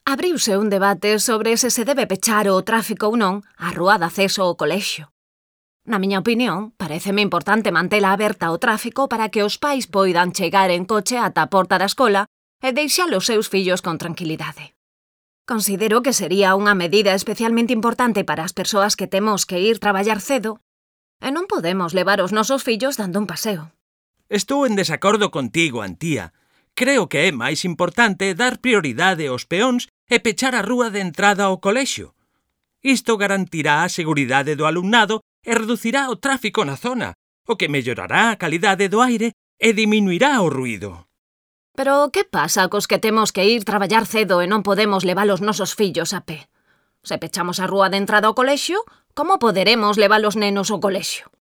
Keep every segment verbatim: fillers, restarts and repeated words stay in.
Abriuse un debate sobre se se debe pechar o tráfico ou non a rúa de acceso ao colexio. Na miña opinión, paréceme importante mantela aberta ao tráfico para que os pais poidan chegar en coche ata a porta da escola e deixar os seus fillos con tranquilidade. Considero que sería unha medida especialmente importante para as persoas que temos que ir traballar cedo e non podemos levar os nosos fillos dando un paseo. Estou en desacordo contigo, Antía. Creo que é máis importante dar prioridade aos peóns e pechar a rúa de entrada ao colexio. Isto garantirá a seguridade do alumnado e reducirá o tráfico na zona, o que mellorará a calidade do aire e diminuirá o ruído. Pero que pasa cos que temos que ir traballar cedo e non podemos levar os nosos fillos a pé? Se pechamos a rúa de entrada ao colexio, como poderemos levar os nenos ao colexio?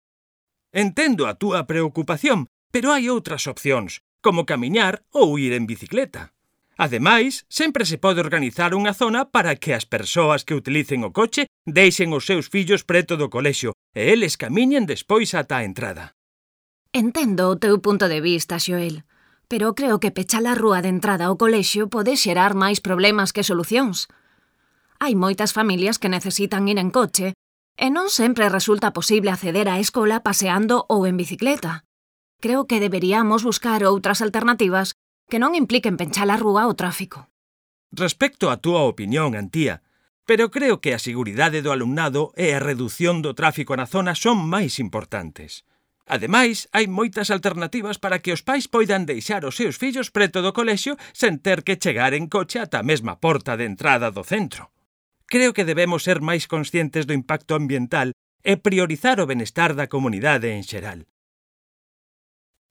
Entendo a túa preocupación, pero hai outras opcións, como camiñar ou ir en bicicleta. Ademais, sempre se pode organizar unha zona para que as persoas que utilicen o coche deixen os seus fillos preto do colexio e eles camiñen despois ata a entrada. Entendo o teu punto de vista, Xoel, pero creo que pechar a rúa de entrada ao colexio pode xerar máis problemas que solucións. Hai moitas familias que necesitan ir en coche e non sempre resulta posible acceder á escola paseando ou en bicicleta. Creo que deberíamos buscar outras alternativas que non impliquen penchar a rúa ao tráfico. Respecto a túa opinión, Antía, pero creo que a seguridade do alumnado e a redución do tráfico na zona son máis importantes. Ademais, hai moitas alternativas para que os pais poidan deixar os seus fillos preto do colexio sen ter que chegar en coche ata a mesma porta de entrada do centro. Creo que debemos ser máis conscientes do impacto ambiental e priorizar o benestar da comunidade en xeral.